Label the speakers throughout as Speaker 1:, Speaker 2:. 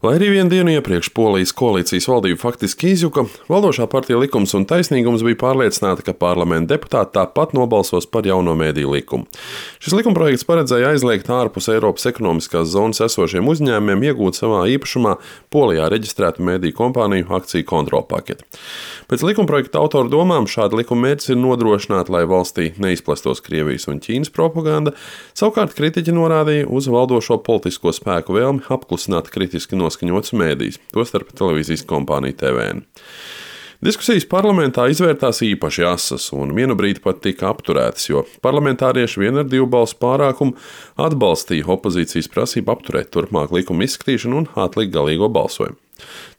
Speaker 1: Lai arī vienu dienu iepriekš Polijas koalīcijas valdība faktiski izjuka, valdošā partija Likums un taisnīgums bija pārliecināta, ka parlamenta deputāti tāpat nobalsos par jauno mēdīju likumu. Šis likumprojekts paredzēja aizliegt ārpus Eiropas ekonomiskās zonas esošiem uzņēmumiem iegūt savā īpašumā Polijā reģistrētu mēdīju kompāniju akciju kontrolpaketi. Pēc likumprojekta autoru domām šāda likuma mērķis ir nodrošināt, lai valstī neizplestos Krievijas un Ķīnas propaganda, savukārt kritiķi norādīja uz valdošo politisko spēku vēlmi apklusināt kritiski noskaņots mēdījus, tostarp televīzijas kompāniju TVN. Diskusijas parlamentā izvērtās īpaši asas un vienu brīdi pat tika apturētas, jo parlamentārieši vien ar 2 balsu pārākumu atbalstīja opozīcijas prasību apturēt turpmāk likuma izskatīšanu un atlikt galīgo balsojumu.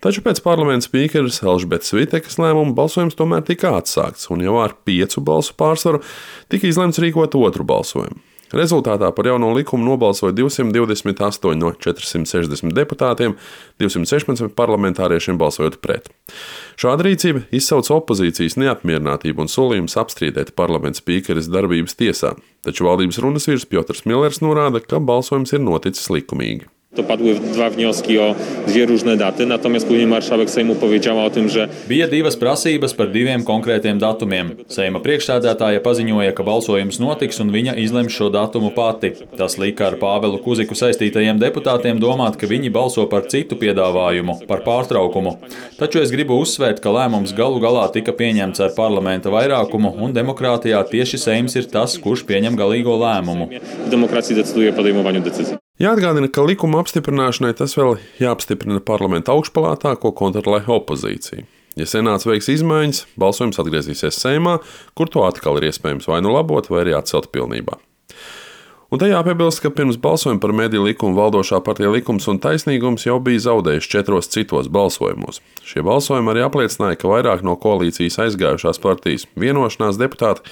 Speaker 1: Taču pēc parlamenta spīkeres Elžbetes Vitekas lēmuma balsojums tomēr tika atsākts, un jau ar 5 balsu pārsvaru tika izlemts rīkot otru balsojumu. Rezultātā par jauno likumu nobalsoja 228 no 460 deputātiem, 216 parlamentāriešiem balsojot pret. Šāda rīcība izsauca opozīcijas neapmierinātību un solījumus apstrīdēt parlamenta spīkeres darbības tiesā, taču valdības runas vīrs Piotrs Millers norāda, ka balsojums ir noticis likumīgi.
Speaker 2: To padły 2 wnioski o 2 różne daty, natomiast później marszałek Sejmu powiedziała o tym, że
Speaker 3: bija 2 prasības par 2 konkrētiem datumiem. Seima priekšsēdētāja paziņoja, ka balsojums notiks un viņa izlems šo datumu pati. Tas lika ar Pāvelu Kuziku saistītajiem deputātiem domāt, ka viņi balso par citu piedāvājumu, par pārtraukumu. Taču es gribu uzsvērt, ka lēmums galu galā tika pieņemts ar parlamenta vairākumu, un demokrātijā tieši Seims ir tas, kurš pieņem galīgo lēmumu.
Speaker 2: w demokracji decyduje o podejmowaniu decyzji.
Speaker 1: Jāatgādina, ka likuma apstiprināšanai tas vēl jāapstiprina parlamenta augšpalātā, ko kontrolē opozīcija. Ja senāts veiks izmaiņas, balsojums atgriezīsies Seimā, kur to atkal ir iespējams vai nu labot, vai arī atcelt pilnībā. Un te jāpiebilst, ka pirms balsojuma par mediju likumu valdošā partija Likums un taisnīgums jau bija zaudējuši 4 citos balsojumos. Šie balsojumi arī apliecināja, ka vairāk no koalīcijas aizgājušās partijas vienošanās deputāti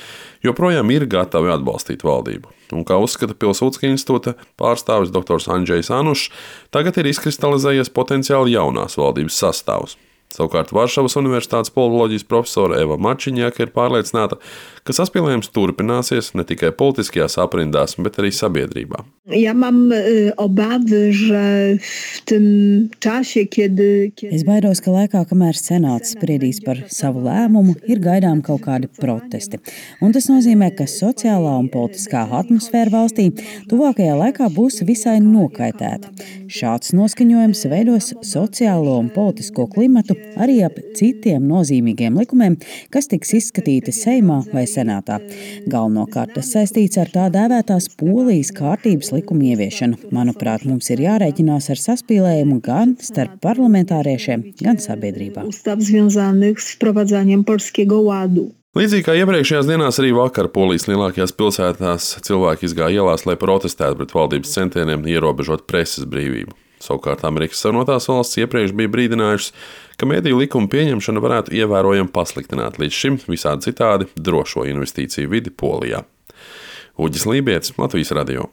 Speaker 1: joprojām ir gatavi atbalstīt valdību. Un kā uzskata Pilsudska institūta pārstāvis dr. Andžejs Anušs, tagad ir izkristalizējies potenciāli jaunās valdības sastāvs. Savukārt Varšavas Universitātes politoloģijas profesore Eva Marčiņāka ir pārliecināta, ka saspīlējums turpināsies ne tikai politiskajās aprindās, bet arī sabiedrībā.
Speaker 4: Ja mam obawy, że w tym czasie, kiedy...
Speaker 5: Es baidos, ka laikā, kamēr senāts spriedīs par savu lēmumu, ir gaidām kaut kādi protesti. Un tas nozīmē, ka sociālā un politiskā atmosfēra valstī tuvākajā laikā būs visai nokaitēta. Šāds noskaņojums veidos sociālo un politisko klimatu arī ap citiem nozīmīgiem likumiem, kas tiks izskatīti Seimā vai Senātā. Galvenokārt tas saistīts ar tā dēvētās Polijas kārtības likumu ieviešanu. Manuprāt, mums ir jārēķinās ar saspīlējumu gan starp parlamentāriešiem, gan sabiedrībā.
Speaker 4: Ustaw związanych z wprowadzaniem Polskiego Ładu.
Speaker 1: Līdzīgi kā iepriekšējās dienās, arī vakar Polijas lielākajās pilsētās cilvēki izgāja ielās, lai protestētu pret valdības centieniem ierobežot preses brīvību. Savukārt Amerikas Savienotās valsts iepriekš bija brīdinājušas, ka mediju likuma pieņemšana varētu ievērojami pasliktināt līdz šim visādi citādi drošo investīciju vidi Polijā. Uģis Lībietis, Latvijas radio.